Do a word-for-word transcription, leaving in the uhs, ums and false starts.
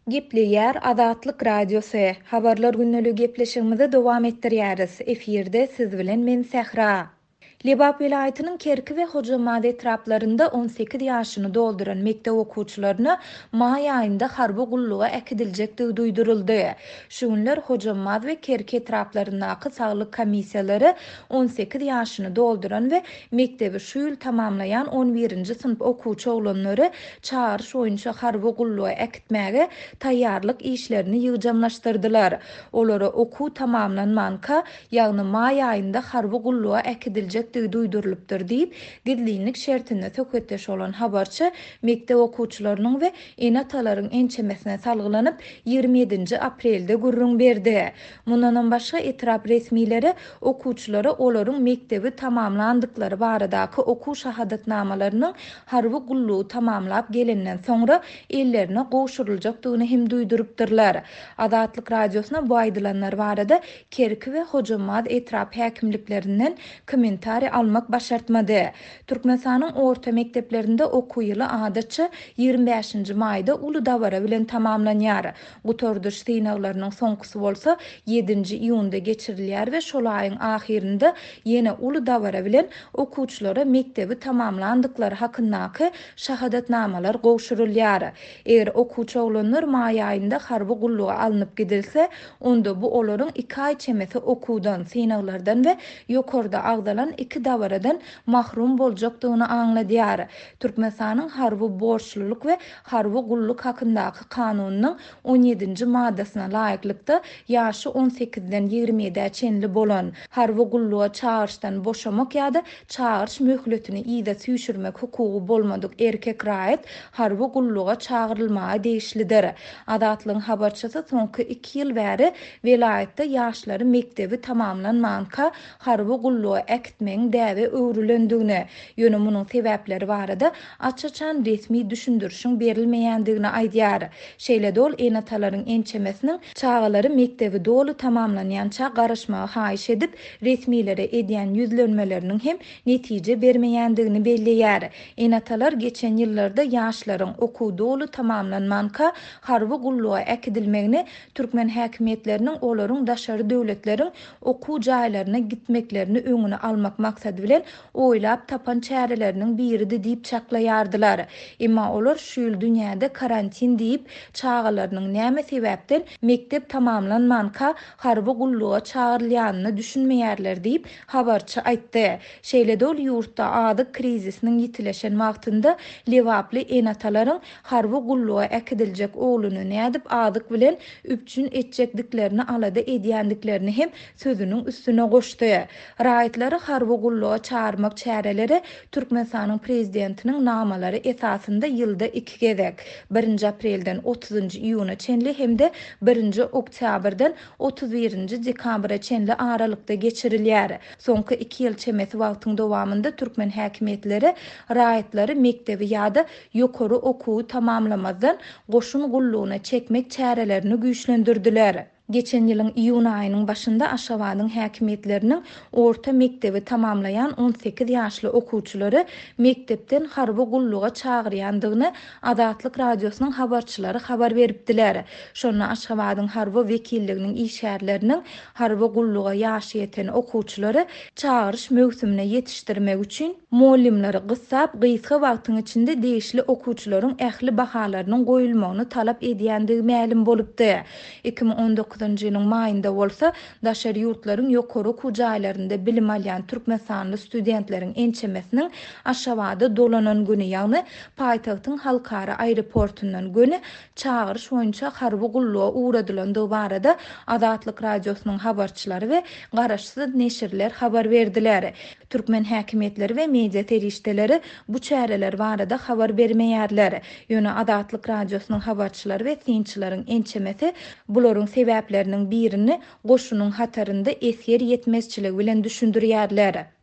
Gepleýär Azatlyk Radiosy. Habarlar gündeligi gepleşigimizi dowam etdirýäris. Efirde siz bilen men Sähra. Lebap welaýatynyň Kerki we Hojambaz etraplarynda on sekiz ýaşyny dolduran mekdep okuwçylaryna maý aýynda harby gulluga äkidiljekdigi duýduryldy. Şu günler Hojambaz we Kerki etraplaryndaky saglyk komissiýalary on sekiz ýaşyny dolduran we mekdebi şu ýyl tamamlaýan on birinji synp okuwçy oglanlary çagyryş boýunça harby gulluga äkitmäge taýýarlyk işlerini ýygjamlaşdyrdylar. Olara okuw tamamlanmanka, ýagny maý aýynda harby gulluga äkidiljekdigi duýdurylypdyr diýip, gizlinlik şertinde söhbetdeş bolan habarçy mekdep okuwçylarynyň we ene-atalaryň ençemesine salgylanyp ýigrimi ýedinji aprelde gürrüň berdi. Mundanam başga etrap resmileri okuwçylara olaryň mekdebi tamamlandyklary baradaky okuw şahadatnamalarynyň harby gullugy tamamlap gelenden soňra ellerine gowşuryljakdygyny hem duýdurypdyrlar. Azatlyk Radiosyna bu aýdylanlar barada Kerki we Hojambaz etrap häkimliklerinden kommentariý almak başartmady. Türkmenistanyň orta mekdeplerinde okuw ýyly adatça ýigrimi bäşinji maýda uly dabara bilen tamamlanýar. Gutardyş synaglarynyň soňkusy bolsa ýedinji iýunda geçirilýär we şol aýyň ahyrynda ýene uly dabara bilen okuwçylara mekdebi tamamlandyklary hakyndaky şahadatnamalar gowşurylýar. Eger okuwçy oglanlar maý aýynda harby gulluga alnyp gidilse, onda bu olaryň iki aý çemesi okuwdan, synaglardan we ýokarda agzalan iki dabaradan mahrum boljakdygyny aňladýar. Türkmenistanyň harby borçlulyk we harby gulluk hakyndaky kanunynyň on ýedinji maddasyna laýyklykda ýaşy on sekizden ýigrimi ýedä çenli bolan harby gulluga çagyryşdan boşamak ýa-da çagyryş möhletini yza süýşürmek hukugy bolmadyk erkek raýat harby gulluga çagyrylmaga degişlidir. Azatlygyň habarçysy soňky iki ýyl bäri welaýatda ýaşlary mekdebi tamamlanmanka harby gulluga äkitmegiň däbe öwrülendigini, ýöne munuň sebäpleri barada aç-açan resmi düşündirişiň berilmeýändigini aýdýar. Şeýle-de ol ene-atalaryň ençemesiniň çagalary mekdebi doly tamamlanýança garaşmagy haýyş edip, resmilere edýän ýüzlenmeleriniň hem netije bermeýändigini belleýär. Ene-atalar geçen ýyllarda ýaşlaryň okuw doly tamamlanmanka harby gulluga äkidilmegini türkmen häkimiýetleriniň olaryň daşary döwletleriň okuw jaýlaryna gitmeklerini öňüne almak maksady bilen oýlap tapan çäreleriniň biridi diýip çaklaýardylar. Emma olar şu ýyl dünýäde karantin diýip çagalarynyň näme sebäpden mekdep tamamlanmanka harby gulluga çagyrylýanyny düşünmeýärler diýip habarçy aýtdy. Şeýle-de ol ýurtda azyk krizisiniň ýitileşen wagtynda Lebaply ene-atalaryň harby gulluga äkidiljek ogluny nädip azyk bilen üpjün etjekdiklerini alada edýändiklerini hem sözüniň üstüne goşdy. Raýatlary harby gulluga çağırmak çäreleri Türkmenistanyň prezidentiniň namalary esasynda ýylda iki gezek, birinji aprelden otuzynjy iýuna çenli hem-de birinji oktýabrdan otuz birinji dekabra çenli aralykda geçirilýär. Soňky iki ýyl çemesi wagtyň dowamynda türkmen häkimiýetleri raýatlary mekdebi ýa-da ýokary okuwy tamamlamazdan goşun gullugyna çekmek çärelerini güýçlendirdiler. Geçen ýylyň iýun aýynyň başynda Aşgabadyň häkimiýetleriniň orta mekdebi tamamlaýan on sekiz ýaşly okuwçylary mekdepden harby gulluga çagyrýandygyny Azatlyk Radiosynyň habarçylary habar beripdiler. Şonda Aşgabadyň harby wekilliginiň işgärleriniň harby gulluga ýaşy ýeten okuwçylary çagyryş möwsümine ýetişdirmek üçin mugallymlary gyssap, gysga wagtyň içinde degişli okuwçylaryň ähli bahalarynyň goýulmagyny talap edýändigi mälim bolupdy. iki müň on dokuzynjy ýylyň maýynda bolsa daşary ýurtlaryň ýokary okuw jaýlarynda bilim alýan türkmenistanly studentleriň ençemesiniň Aşgabada dolanan güni, ýagny paýtagtyň halkara aeroportundan göni çagyryş boýunça harby gulluga ugradylandygy barada Azatlyk Radiosynyň habarçylary we garaşsyz neşirler habar berdiler. Türkmen häkimiýetleri we media serişdeleri bu çäreler barada habar bermeýärler. Ýöne Azatlyk Radiosynyň habarçylary we synçylaryň ençemesi bularyň sebäpleriniň birini goşunyň hatarynda esger ýetmezçiligi bilen düşündirýärler.